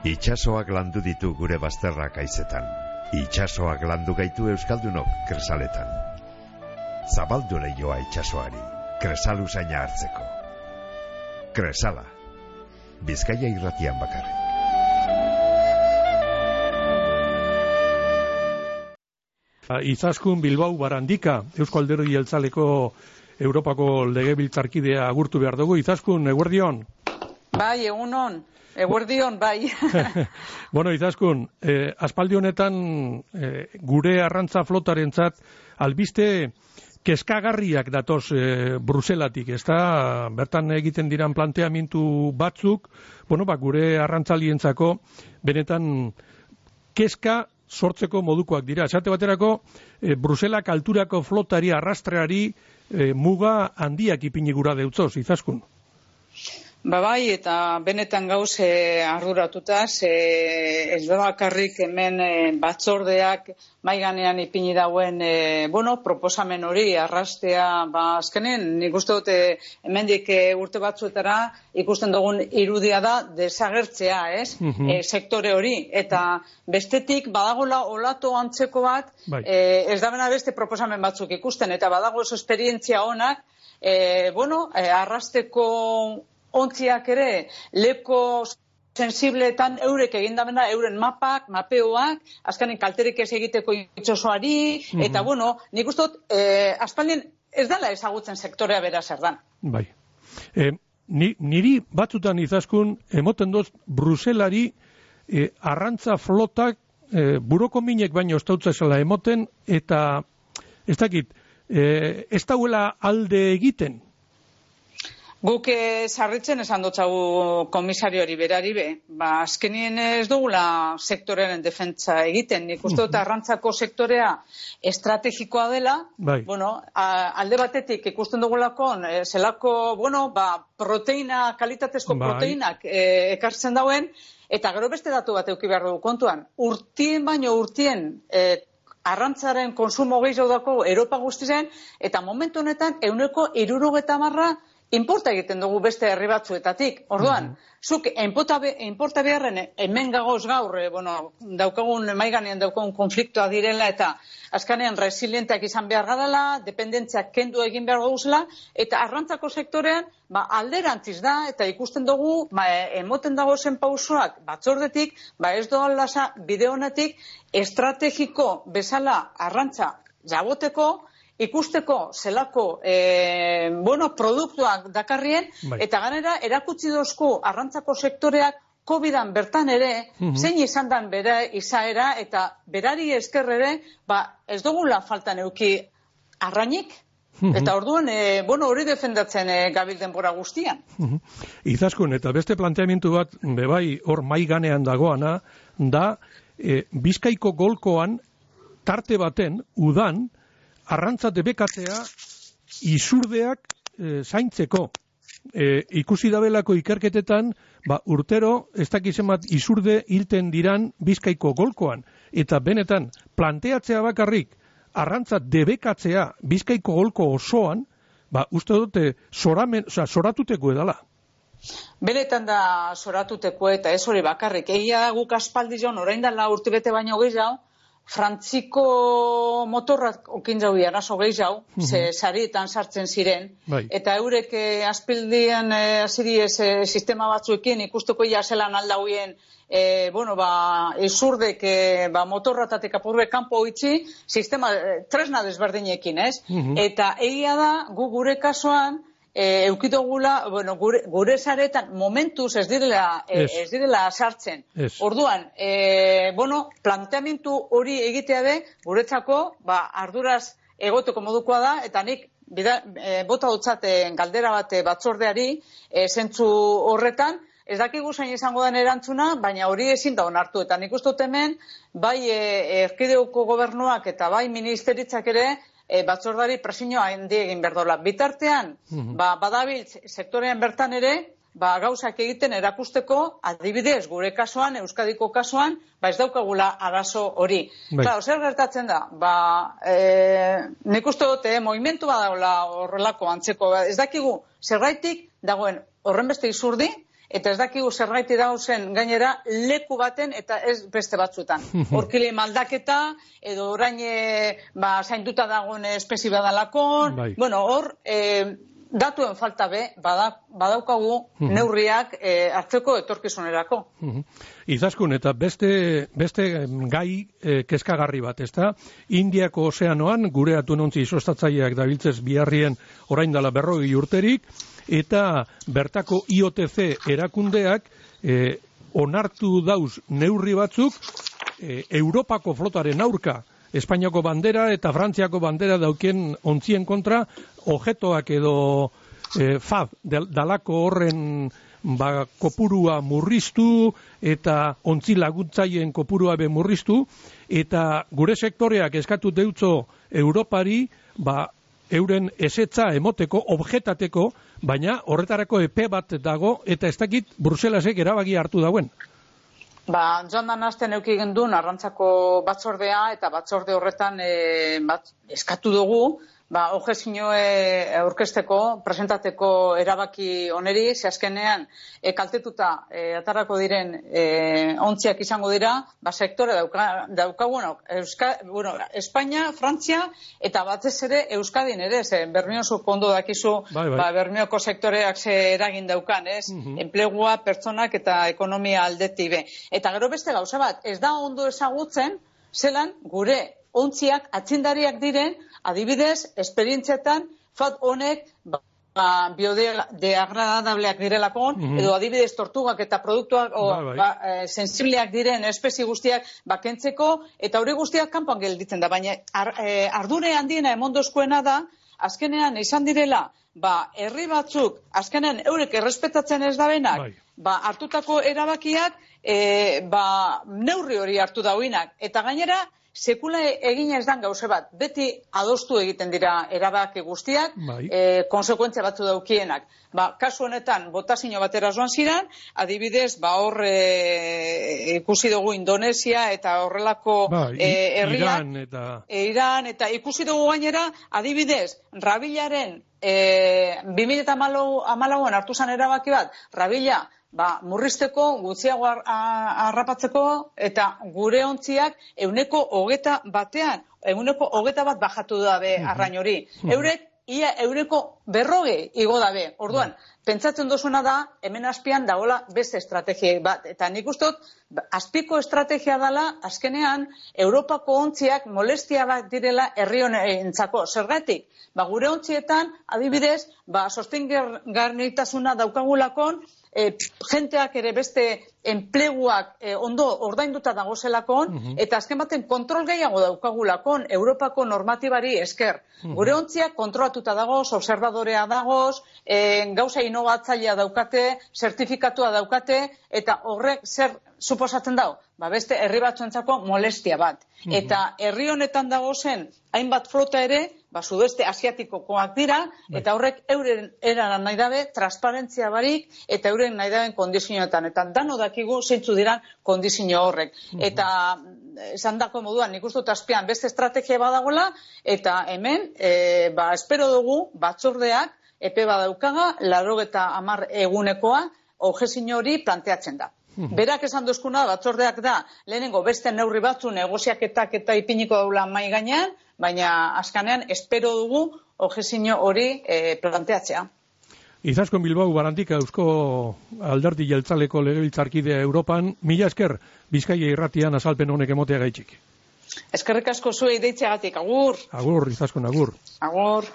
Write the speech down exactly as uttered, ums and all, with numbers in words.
Itxasoak landu ditu gure bazterrak haizetan. Itxasoak landu gaitu euskaldunok Kresaletan. Zabaldu leioa itxasoari, Kresal usaina hartzeko. Kresala, Bizkaia irratian bakarrik. Izaskun Bilbao Barandika, Eusko Alderdi Jeltzaleko Europako legebiltzarkidea agurtu behar dugu. Izaskun, eguerdion? Bai, egunon. Eguerdion, bai. Bueno, Izaskun, eh, aspaldi honetan eh, gure arrantza flotarentzat albiste kezkagarriak datoz eh, Bruselatik, ezta? Bertan egiten diran planteamendu batzuk, bueno, ba, gure arrantzalientzako benetan kezka sortzeko modukoak dira. Esate baterako, eh, Bruselak alturako flotari arrastreari eh, muga handiak ipini gura deutzoz, Izaskun. Ba bai, eta benetan gauz e, arduratuta, e, ez da bakarrik hemen e, batzordeak maiganean ipini dauen e, bueno, proposamen hori arrastea, ba azkenen, nik uste dut e, hemendik e, urte batzuetara ikusten dugun irudia da desagertzea, ez? Uh-huh. E, sektore hori, eta bestetik badagola olato antzeko bat, bai. e, ez da bena beste proposamen batzuk ikusten, eta badago oso esperientzia honak, e, bueno, e, arrasteko ontziak ere, leko sensibleetan eurek egindamena, euren mapak, mapeoak, azkanen kalterik ez egiteko itxosoari, mm-hmm. eta bueno, nik uste dut, eh, aspaldien ez dela ezagutzen sektorea bera zer dan. Bai. Eh, ni, niri batzutan Izaskun, emoten doz, Bruselari eh, arrantza flotak eh, buroko minek baino estautzezela emoten, eta ez dakit, eh, ez dauela alde egiten. Guk sarritzen esan dutzagu komisariori berari be, ba, azkenien ez dugula sektorearen defentsa egiten, nik uste dut arrantzako sektorea estrategikoa dela, bai. Bueno, a, alde batetik ikusten dugulako, e, zelako, bueno, ba, proteina, kalitatezko bai. Proteinak e, ekartzen dauen, eta gero beste datu bat euki behar dugu kontuan, urtien baino urtien, e, arrantzaren konsumo gehiago dako Europa guztizen, eta momentu honetan euneko hirurogeta marra inporta egiten dugu beste herri batzuetatik. Orduan, mm-hmm. zuk inporta beharren hemen gagoz gaur, eh, bueno, daukagun maiganean daukagun konfliktoa direla eta azkanean resilienteak izan behar gadala, dependentziak kendu egin behar guzela, eta arrantzako sektorean ba, alderantziz da, eta ikusten dugu, ba, emoten dago zen pausoak batzordetik, ba, ez doan lasa bide honetik estrategiko bezala arrantza jaboteko, ikusteko zelako e, bueno, produktuak dakarrien, bai. Eta ganera erakutsi dozku arrantzako sektoreak kovidan bertan ere, uh-huh. zein izan dan bera izaera, eta berari esker ere, ba, ez dugula faltan euki arrainik, uh-huh. Eta orduan, e, bueno, hori defendatzen e, gabil denbora guztian. Uh-huh. Izaskun, eta beste planteamendu bat, bebai, hor maiganean dagoana, da, e, Bizkaiko golkoan, tarte baten, udan, arrantza debekatzea izurdeak e, zaintzeko. E, ikusi dabelako ikerketetan, ba, urtero ez dakizen bat izurde hilten diran Bizkaiko golkoan. Eta benetan, planteatzea bakarrik, arrantza debekatzea Bizkaiko golko osoan, ba, uste dute, zoramen, oza, zoratuteko edala. Benetan da zoratuteko eta ez hori bakarrik. Egia guk aspaldi joan, orain dela urte bete baino gehiago, Frantziko motorrak okin jau arazo gehi jau, uh-huh. ze sarietan sartzen ziren, bai. Eta eurek eh, aspildian eh, aziriez eh, sistema batzuekin ikusteko ja zelan aldauien, eh, bueno, ba, ezurdek eh, ba, motorratatek apurbe kanpo itzi, sistema, eh, tresna desberdinekin, ez? Uh-huh. Eta egia da, gu gure kasuan, E, eukitogula, bueno, gure, gure saretan momentuz ez direla, e, ez direla sartzen. Es. Orduan, e, bueno, planteamendu hori egitea de, guretzako, ba, arduraz egoteko modukoa da, eta nik bida, e, bota dutzaten galdera bat batzordeari, e, zentzu horretan, ez dakigu zain izango den erantzuna, baina hori ezin da onartu. Eta nik uste dut hemen, bai e, erkideuko gobernuak eta bai ministeritzak ere, E, batzordari presioa handi egin berdola. Bitartean, uh-huh. ba, badabiltz sektorean bertan ere, ba, gauzak egiten erakusteko, adibidez, gure kasuan, Euskadiko kasuan, ba, ez daukagula arazo hori. Bai. Claro, zer gertatzen da? Ba, e, nik uste dute, eh, movimentu badaula horrelako antzeko. Ez dakigu, zergaitik dagoen horren beste izurdi, eta ez dakigu zergaiti dauzen gainera leku baten eta ez beste batzutan. Horkile maldaketa, edo orain ba, zainduta dagoen espezie badalakon, bai. Bueno, hor... E, datuen falta be, badaukagu neurriak e, hartzeko etorkizunerako. Izaskun, eta beste, beste gai e, kezkagarri bat, ezta? Indiako ozeanoan, gure atunontzi izostatzaileak dabiltzez biharrien orain dela berrogei urterik, eta bertako I O T C erakundeak e, onartu dauz neurri batzuk e, Europako flotaren aurka, Espainiako bandera eta Frantziako bandera daukien ontzien kontra, objetoak edo e, fab, dalako horren ba, kopurua murriztu eta ontzi laguntzaien kopurua be murriztu, eta gure sektoreak eskatu deutzo Europari, ba, euren esetza emoteko, objetateko, baina horretarako epe bat dago, eta ez dakit Bruselasek erabaki hartu dauen. Ba, joan dan azten euki gendun arrantzako batzordea, eta batzorde horretan e, bat, eskatu dugu, ba, objezinioe aurkezteko, presentateko erabaki oneri, ze azkenean e, kaltetuta e, atarako diren e, ontziak izango dira, ba, sektore dauka, dauka bueno, Euska, bueno, Espainia, Frantzia, eta batez ere Euskadin ere, ze Bermiozu kondo dakizu, bai, bai. Ba, Bermioko sektoreak ze eragin daukan, ez? Uh-huh. Enplegua, pertsonak eta ekonomia aldetik be. Eta gero beste gauza bat, ez da ondo ezagutzen, zelan gure ontziak atzindariak diren, adibidez, esperientzietan, fat honek ba, biodegradableak direlakon, mm-hmm. edo adibidez tortugak eta produktuak o, bai, bai. Ba, e, sensibleak diren espezie guztiak bakentzeko, eta hori guztiak kanpoan gelditzen da, baina ar, e, ardure handiena emondozkoena da, azkenean izan direla, ba, herri batzuk, azkenean eurek errespetatzen ez dabenak, bai. Ba, hartutako erabakiak, e, ba, neurri hori hartu dauinak, eta gainera, sekula egina ez dan gauze bat, beti adostu egiten dira erabaki guztiak, bai. e, konsekuentzia batzu daukienak. Ba, kasu honetan, botazio batera joan ziren, adibidez, ba, hor e, ikusi dugu Indonesia eta horrelako bai, e, herriak, Iran eta... E, Iran eta ikusi dugu gainera, adibidez, rabilaren e, bi mila hamalauan hartu zen erabaki bat, rabila, ba, murrizteko, gutxiago harrapatzeko, eta gure ontziak euneko hogeta batean, euneko hogeta bat bajatu dabe arrain hori. Eurek, ia euneko berroge igo dabe. Orduan, pentsatzen dozuna da, hemen azpian dagoela beste estrategia bat. Eta nik ustot, azpiko estrategia dela, azkenean, Europako ontziak molestia bat direla herri honentzako. Zergatik, ba, gure ontzietan, adibidez, ba, sostengarritasuna daukagulakon, E, jenteak ere beste enpleguak e, ondo ordainduta dagozelakon, uh-huh. eta azken baten kontrol gehiago daukagulakon Europako normatibari esker. Uh-huh. Gure ontziak kontrolatuta dagoz, observadorea dagoz, e, gauza inovatzailea daukate, zertifikatua daukate, eta horrek zer suposatzen dau? Ba, beste herri batzuentzako molestia bat. Uh-huh. Eta herri honetan dagozen hainbat flota ere, ba, sudeste asiatikokoak dira, eta horrek euren eran nahi dabe, transparentzia barik, eta euren nahi daben kondizioetan. Eta dano dakigu zeintzu diran kondizio horrek. Uh-huh. Eta esan dako moduan, nik uste dut azpian beste estrategia badagoela, eta hemen, e, ba, espero dugu batzordeak, epe badaukaga, larogeta hamar egunekoa, objezinio hori planteatzen da. Berak esan duzkuna, batzordeak da, lehenengo beste neurri batzu negoziaketak eta ipiniko daula mai gainean, baina azkanean espero dugu objezinio hori e, planteatzea. Izaskun Bilbao Barantika, Eusko Alderdi Jeltzaleko legebiltzarkidea Europan, mila esker Bizkaia irratian azalpen honek emotea gaitxik. Eskerrik asko zuei deitzeagatik, agur. Agur, Izaskun, agur. Agur.